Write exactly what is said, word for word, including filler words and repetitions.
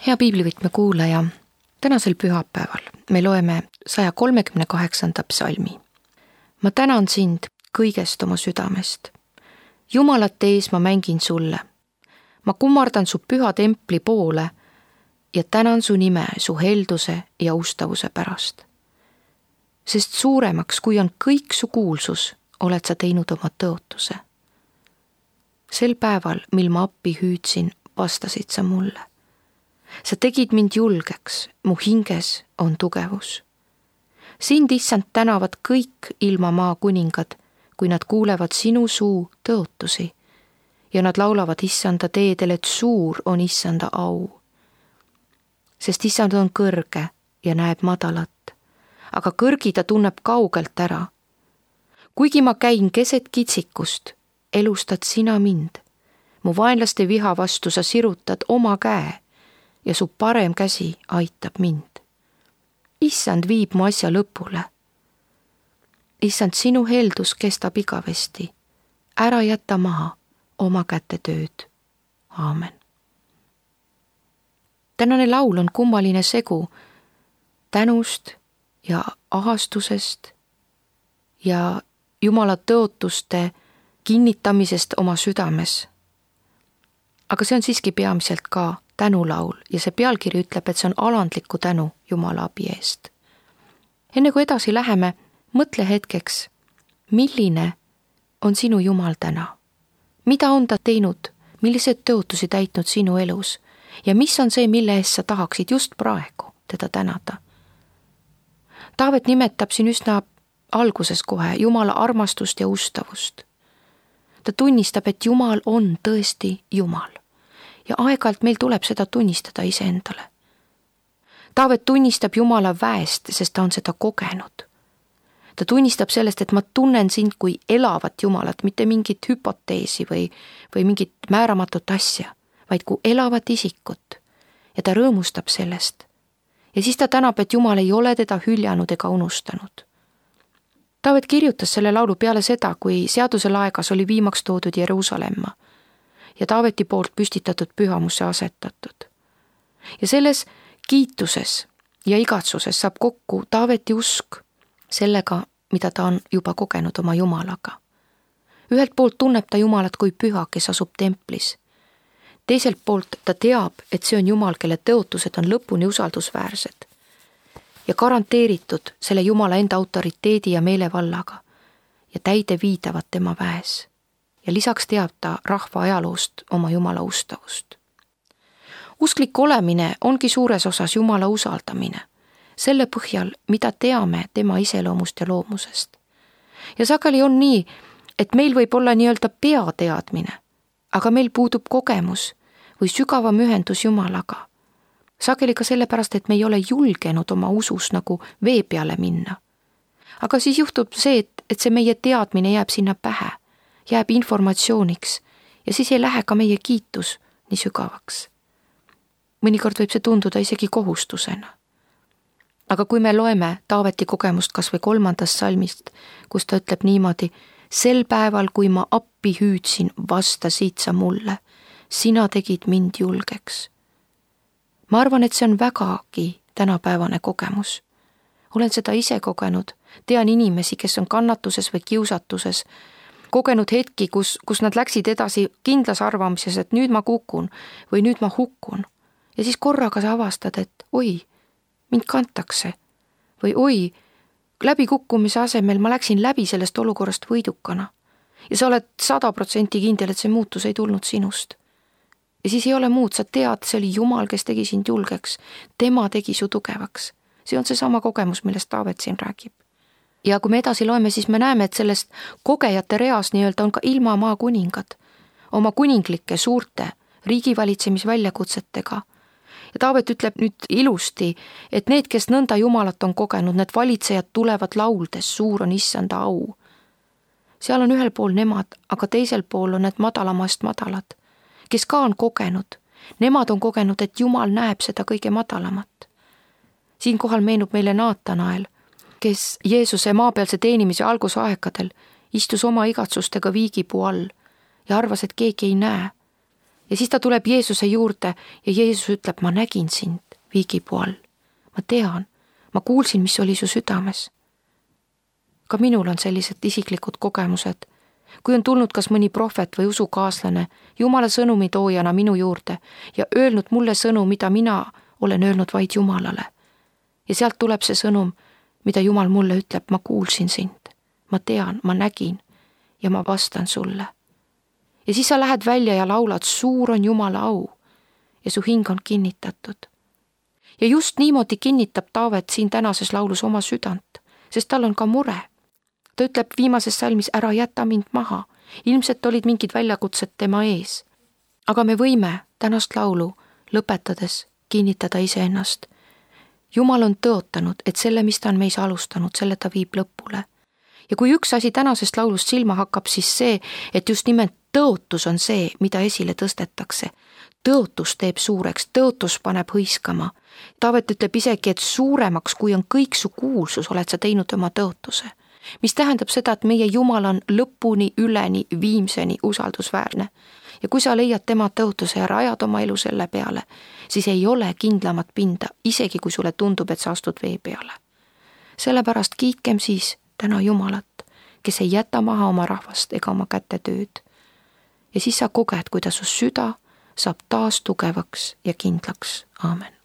Hea piiblivõtme kuulaja, tänasel pühapäeval me loeme saja kolmekümne kaheksanda psalmi. Ma tänan sind kõigest oma südamest. Jumalate ees ma mängin sulle. Ma kummardan su püha templi poole ja tänan su nime su helduse ja ustavuse pärast. Sest suuremaks, kui on kõik su kuulsus, oled sa teinud oma tõotuse. Sel päeval, mil ma appi hüüdsin, vastasid sa mulle. Sa tegid mind julgeks, mu hinges on tugevus. Sind, issand, tänavad kõik ilma maa kuningad, kui nad kuulevad sinu suu tõotusi ja nad laulavad issanda teedel, et suur on issanda au. Sest issand on kõrge ja näeb madalat, aga kõrgi ta tunneb kaugelt ära. Kuigi ma käin keset kitsikust, elustad sina mind. Mu vaenlaste viha vastu sa sirutad oma käe ja su parem käsi aitab mind. Issand viib mu asja lõpule. Issand, sinu heldus kestab igavesti. Ära jäta maha oma käte tööd. Aamen. Tänane laul on kummaline segu tänust ja ahastusest ja Jumala tõotuste kinnitamisest oma südames. Aga see on siiski peamiselt ka tänulaul ja see pealkiri ütleb, et see on alandliku tänu Jumala abi eest. Enne kui edasi läheme, mõtle hetkeks, milline on sinu Jumal täna? Mida on ta teinud, millised tõotusi täitnud sinu elus ja mis on see, mille eest sa tahaksid just praegu teda tänada? Taavet nimetab siin üsna alguses kohe Jumala armastust ja ustavust. Ta tunnistab, et Jumal on tõesti Jumal. Ja aeg-ajalt meil tuleb seda tunnistada iseendale. Taavet tunnistab Jumala väest, sest ta on seda kogenud. Ta tunnistab sellest, et ma tunnen sind kui elavat Jumalat, mitte mingit hüpoteesi või, või mingit määramatut asja, vaid kui elavat isikut. Ja ta rõõmustab sellest. Ja siis ta tänab, et Jumal ei ole teda hüljanud ega unustanud. Taavet kirjutas selle laulu peale seda, kui seaduse laegas oli viimaks toodud Jeruusalemma ja Taaveti poolt püstitatud pühamusse asetatud. Ja selles kiituses ja igatsuses saab kokku Taaveti usk sellega, mida ta on juba kogenud oma Jumalaga. Ühelt poolt tunneb ta Jumalat kui püha, kes asub templis. Teiselt poolt ta teab, et see on Jumal, kelle tõotused on lõpuni usaldusväärsed ja garanteeritud selle Jumala enda autoriteedi ja meelevallaga ja täide viidavad tema väes. Ja lisaks teab ta rahva ajaloost oma Jumala ustavust. Usklik olemine ongi suures osas Jumala usaldamine, selle põhjal, mida teame tema iseloomust ja loomusest. Ja sageli on nii, et meil võib olla nii-öelda peateadmine, aga meil puudub kogemus või sügavam ühendus Jumalaga. Sageli ka sellepärast, et me ei ole julgenud oma usus nagu vee peale minna. Aga siis juhtub see, et, et see meie teadmine jääb sinna pähe, jääb informatsiooniks ja siis ei lähe ka meie kiitus nii sügavaks. Mõnikord võib see tunduda isegi kohustusena. Aga kui me loeme Taaveti kogemust kas või kolmandast salmist, kus ta ütleb niimoodi, sel päeval, kui ma appi hüüdsin, vastasid sa mulle, sina tegid mind julgeks. Ma arvan, et see on vägagi tänapäevane kogemus. Olen seda ise kogenud, tean inimesi, kes on kannatuses või kiusatuses, kogenud hetki, kus, kus nad läksid edasi kindlas arvamises, et nüüd ma kukun või nüüd ma hukkun. Ja siis korraga sa avastad, et oi, mind kantakse või oi, läbi kukkumise asemel ma läksin läbi sellest olukorrast võidukana. Ja sa oled sada protsenti kindel, et see muutus ei tulnud sinust. Ja siis ei ole muud, sa tead, see oli Jumal, kes tegi sind julgeks. Tema tegi su tugevaks. See on see sama kogemus, millest Taavet siin räägib. Ja kui me edasi loeme, siis me näeme, et sellest kogejate reas nii-öelda on ka ilma maa kuningad, oma kuninglike suurte riigivalitsemisväljakutsetega. Ja Taavet ütleb nüüd ilusti, et need, kes nõnda Jumalat on kogenud, need valitsejad tulevad lauldes, suur on issanda au. Seal on ühel pool nemad, aga teisel pool on need madalamast madalad, kes ka on kogenud. Nemad on kogenud, et Jumal näeb seda kõige madalamat. Siinkohal meenub meile Naatanael, kes Jeesuse maapealse teenimise algusaegadel istus oma igatsustega viigipuu all ja arvas, et keegi ei näe. ja siis ta tuleb Jeesuse juurde ja Jeesus ütleb, ma nägin sind viigipuu all. ma tean, ma kuulsin, mis oli su südames. ka minul on sellised isiklikud kogemused, kui on tulnud kas mõni prohvet või usukaaslane Jumala sõnumi toojana minu juurde ja öelnud mulle sõnu, mida mina olen öelnud vaid Jumalale. ja sealt tuleb see sõnum, mida Jumal mulle ütleb, ma kuulsin sind, ma tean, ma nägin ja ma vastan sulle. ja siis sa lähed välja ja laulad, suur on Jumala au ja su hing on kinnitatud. ja just niimoodi kinnitab Taavet siin tänases laulus oma südant, sest tal on ka mure. ta ütleb viimases salmis, ära jäta mind maha, ilmselt olid mingid väljakutsed tema ees. aga me võime tänast laulu lõpetades kinnitada iseennast. Jumal on tõotanud, et selle, mis ta on meis alustanud, selle ta viib lõpule. ja kui üks asi tänasest laulust silma hakkab, siis see, et just nimelt tõotus on see, mida esile tõstetakse. tõotus teeb suureks, tõotus paneb hõiskama. Taavet ütleb isegi, et suuremaks, kui on kõik su kuulsus, oled sa teinud oma tõotuse. mis tähendab seda, et meie Jumal on lõpuni, üleni, viimseni usaldusväärne. ja kui sa leiad tema tõotuse ja rajad oma elu selle peale, siis ei ole kindlamat pinda, isegi kui sulle tundub, et sa astud vee peale. sellepärast kiitkem siis täna Jumalat, kes ei jäta maha oma rahvast ega oma käte tööd. ja siis sa koged, kuidas su süda saab taas tugevaks ja kindlaks. Aamen.